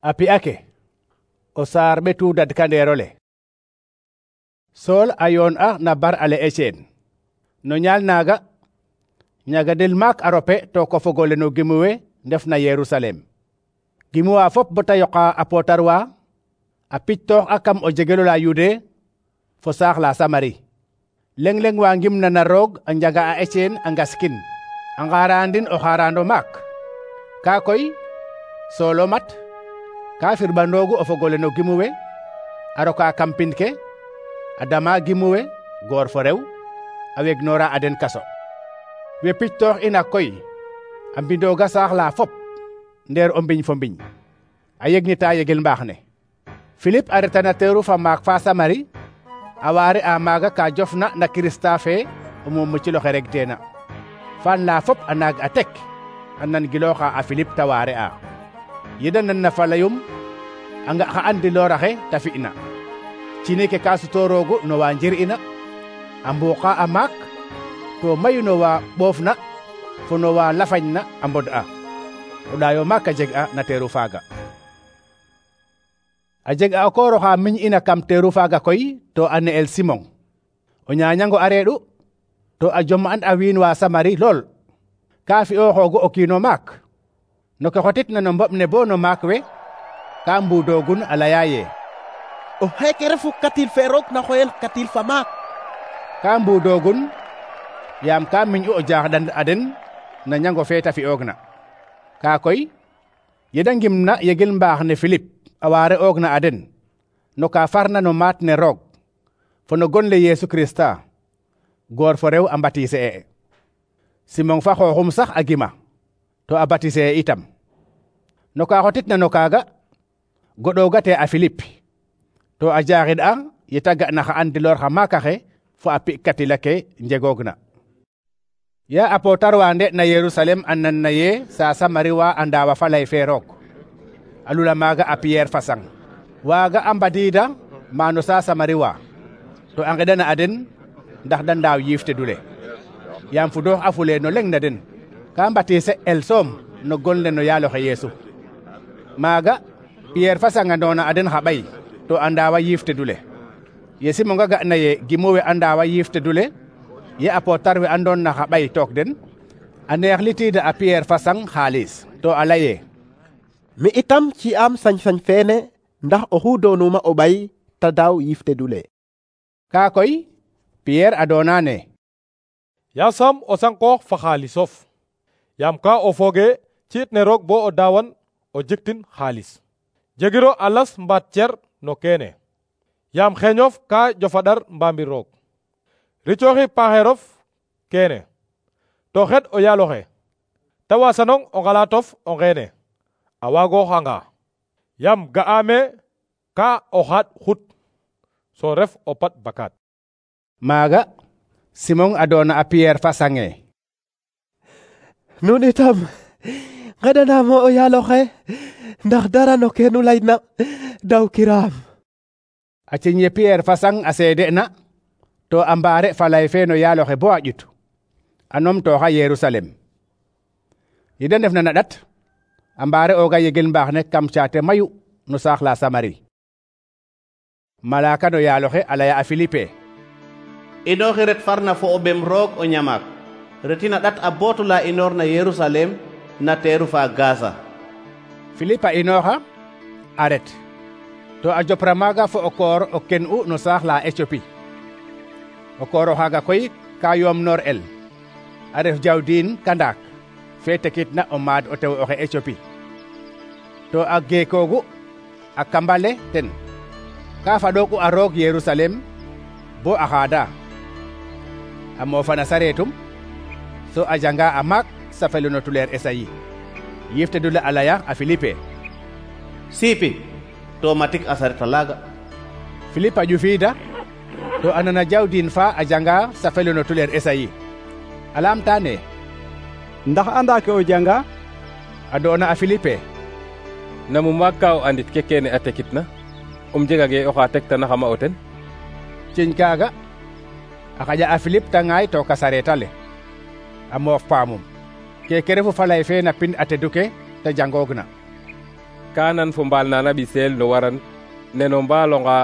A pi'ake o saar ɓetu dadkandeerole. Sool a yoon'a na bar ale Eceen. No ñaal naaga ñagadel maak a rope to ko fogole no gimuwe ndefna Yerusalem. Gimuwa fop bota yoqa a pootarwa a pictoox a kam o jegelola Yude fo saax la Samari. Leng wa ngimna na roog a njaga a Eceen a ngaskin a ngarandin o xarando maak. Ka koy Soolo mat ka firɓandoogu o fogole no gimuwe a roka kam pin ke a dama gimuwe goor fo rew a wegnoora a den kaso. We pictoox ina koy a mbindooga saax la fop ndeer o mbiñ fo mbiñ a yegnita yegel mbaax ne. Philippe a reta na teeru fa maak fa Samari a waare a maaga ka jofna na Kirista fe o muum ciloxe reg teena. Fan la fop a naag a tek a nan gilooxa a Philippe ta waare a. Yeda nan na falayum a nga xa andilooraxe ta fi'na. Cini ke ka sutoroogu no wa njir'ina a mbuuqa a maak to mayu no wa ɓoofna fo no wa lafañna a mbod'a. O ɗaayo maak a jeg'a na teeru faaga. A jeg'a o koor oxa miñ'ina kam teeru faaga koy to a ne'el Simon. O ñaañango a reeɗu to a jom'an a wiin wa Samari lool. Ka fi'ooxoogu o kiin o maak. No ke xotitna no mboɓ ne bo no maak we ka mbuudoogun a laya ye o xeeke refu katil fe roog na xoyel katil fa maak. Ka mbuudoogun yaam ka miñ'u o jaaxɗan a den na ñango fe ta fi'oogna. Ka koy yeda ngimna yegel mbaax ne Philippe a waare oogna a den no ka farna no maat ne roog fo no gon le Yesu Krista goor fo rew a mbatise e. Simon fa xooxum sax a gima to a batise itam. No ka xotitna no kaaga goɗoogate a Philippe to a jaaxid'a yeta ga'na xa andiloor xa maakaxe fo a pi'katila ke njegoogna. Ya a pootarwa nde na Yerusalem a nanna ye sa Samari wa a ndaawa fa lay fe roog. A lula maaga a Pierre fasang. Waaga a mbadiida maano sa Samari wa to a ngeɗana a den ndax da ndaaw yiif tedule. Yaam fudoox a fule no leng na den ka mbatise el soom no gon le no yaaloxe Yeesu. Maaga Pierre fasangandoona a den xa ɓay to a ndaawa yiif tedule. Ye Simonga ga'na ye gimuwe a ndaawa yiif tedule ye a pootar we andoon na xa ɓay took den a neexlitiida a Pierre fasang xaalis to a laye mi itam ci am sañ-sañ feene ndax oxu doonuma o ɓay ta daaw yiif tedule. Ka koy Pierre a doona ne yasam o sankoox fa xaalisof yaam ka o fooge ciit ne roog bo o daawan o jiktin xaalis. Jegiro a las mbaat cer no keene yaam xeñof ka jofaɗar mbaamir roog. Ricooxi paaxeerof keene to xed o yaaloxe ta wasanong o ngalatof o ngeene a waagooxanga yaam ga'aame ka o xaaɗ xut so ref o pat bakaat. Maaga Simon a doona a Pierre fasange Nun itam ngeɗanaamo o yaaloxe ndax dara no keenu layna daw kiraam. A ciñ ye Pierre fasang a seede'na to a mbaare falay fe no yaaloxe bo a ƴut a numtooxa Yerusalem. Yede ndefna na ɗat a mbaare ooga yegel mbaax ne kam caate mayu no saax la Samari. Malaaka no yaaloxe a laya a Philippe inooxi ret farna fo o ɓem roog o ñamaak retina ɗat a bootu la inoor na Yerusalem na teeru fa Gaza. Philippe a inooxa a ret to a jopra maaga fo o koor o ken'u no saax la Éthiopie. O koor oxaaga koy ka yoom noor el a ref jawdiin kandaak fe tekitna o maad o tew oxe Éthiopie. To a geekoogu a kambale ten ka faɗoogu a roog Yerusalem bo a xaada a moofana sareetum so a janga a maak safelu no tuleer Esayi. Yiftedule a laya a Philippe siipi to matik a sareta laaga. Philippe a ƴufiida to a nana jawdiin fa a janga safelu no tuleer Esayi. A laamta ne ndax anda ke o janga? A doona a Philippe namu maak ka o andit ke kene a tekitna jegage oxa tektana xama o ten. Ciñ kaaga a xaƴa a Philippe ta ŋaay to ka sareeta le a moof paamum keke refu falay fe na pin a tedu ke te jangoogna. ka nan fo mbaal nana ɓiseel no waran neno mbaalonga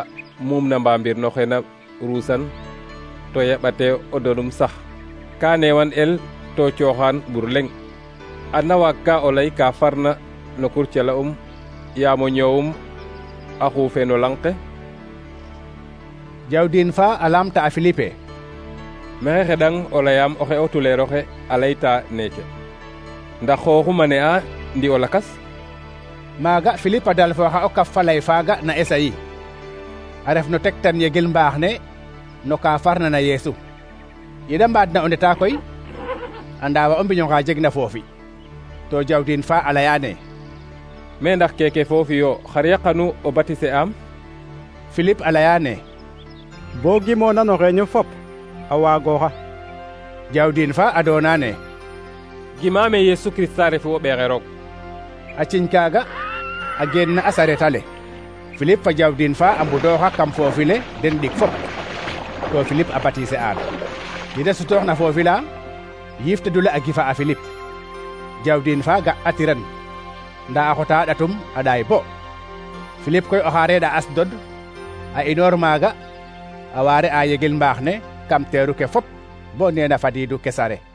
muum na mbambir no xena ruusan to yaɓate o donum sax ka newan el to cooxaan ɓur leŋ adna waag ka o ley ka farna no kurcala yaam o ñoowum a xuufe no lang ke. Jawdin fa a lamta a Philippe: maxey xeɗang o leyaam oxe o tuleer oxe a layta neeke ndax xooxuma ne a ndi o lakas. Maaga Philippe a dalfooxa o kaf fa lay faaga na Esayi a ref no tektan yegel mbaax ne no ka farna na Yeesu. Yeda mbaadna o ndeta koy a ndaawa o mbiñ onqa jegna foofi to Jawdin fa a layaane: me ndax keke foofi yo xar yaqanu o batise am? Philippe a layaane: bo gimoona no xeeñu fop a waagooxa. Jawdin fa a doonaane: gimaame Yesu Kirista refu o ɓeexe roog. a ciñ kaaga a geen na a saretale. Philippe fa Jawdin fa a mbudooxa kam foofi le den ɗik fop to Philippe a batise aan. yede sutooxna foofi la yiif tedule a gifa a Philippe. Jawdin fa ga a tiran ndaa a xota a ɗatum a ɗaay bo. Philippe koy oxa reeɗa Asdod a inoor maaga a waare a yegel mbaax ne kam teeru ke fop bo neena fadiidu Kesare.